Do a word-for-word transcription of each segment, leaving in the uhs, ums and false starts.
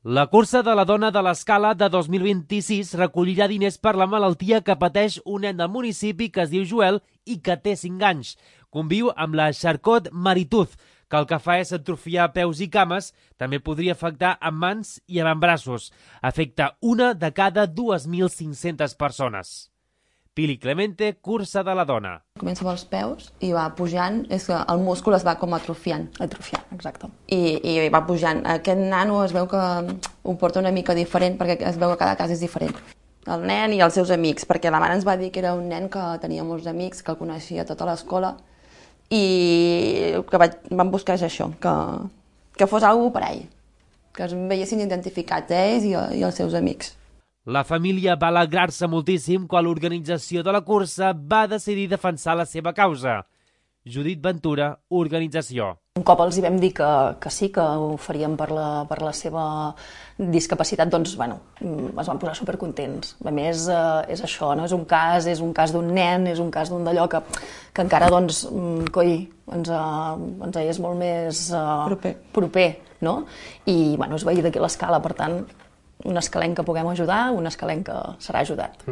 La cursa de la dona de l'Escala de dos mil vint-i-sis recollirà diners per la malaltia que pateix un nen del municipi que es diu Joel i que té cinc anys. Conviu amb la Charcot Marituz, que el que fa és atrofiar peus i cames, també podria afectar amb mans i avantbraços. Afecta una de cada dues mil cinc-centes persones. Pili Clemente, cursa de la dona. Comença pels peus i va pujant, és que el múscul es va com atrofiant. Atrofiant, exacte. I, i va pujant. Aquest nano es veu que ho porta una mica diferent, perquè es veu que cada cas és diferent. El nen i els seus amics, perquè la mare ens va dir que era un nen que tenia molts amics, que el coneixia tota l'escola, i el que vaig, vam buscar és això, que, que fos algú per a ell, que es veiessin identificats ells i, i els seus amics. La família va alegrar-se moltíssim quan l'organització de la cursa va decidir defensar la seva causa. Judit Ventura, organització. Un cop els hi vam dir que, que sí, que ho faríem per la, per la seva discapacitat, doncs, bueno, es van posar supercontents. A més, eh, és això, no? És un cas, és un cas d'un nen, és un cas d'un d'allò que, que encara, doncs, coi, ens, uh, ens és molt més uh, proper. proper, no? I, bueno, és veí d'aquí l'Escala, per tant, un escalenc que puguem ajudar, un escalenc que serà ajudat.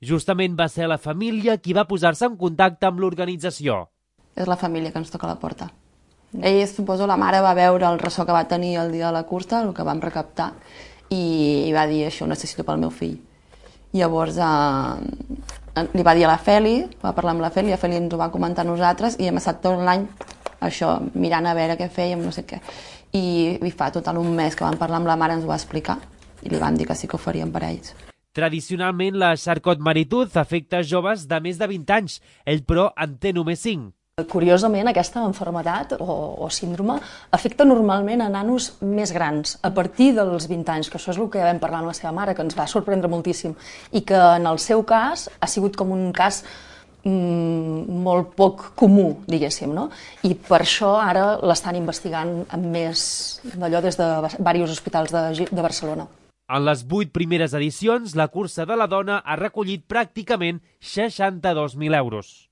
Justament va ser la família qui va posar-se en contacte amb l'organització. És la família que ens toca la porta. Ell, suposo, la mare va veure el ressò que va tenir el dia de la cursa, el que vam recaptar, i, i va dir, això ho necessito pel meu fill. Llavors eh, li va dir a la Feli, va parlar amb la Feli, la Feli ens ho va comentar a nosaltres, i hem estat tot l'any això, mirant a veure què fèiem, no sé què. I, i fa total un mes que vam parlar amb la mare, ens ho va explicar, i li van dir que sí que ho farien per a ells. Tradicionalment, la Charcot Marituz afecta joves de més de vint anys. Ell, però, en té només cinc. Curiosament, aquesta malaltia o, o síndrome afecta normalment a nanos més grans, a partir dels vint anys, que això és el que vam parlar amb la seva mare, que ens va sorprendre moltíssim, i que en el seu cas ha sigut com un cas mm, molt poc comú, diguéssim, no? I per això ara l'estan investigant amb més d'allò des de diversos hospitals de, de Barcelona. En les vuit primeres edicions, la cursa de la dona ha recollit pràcticament seixanta-dos mil euros.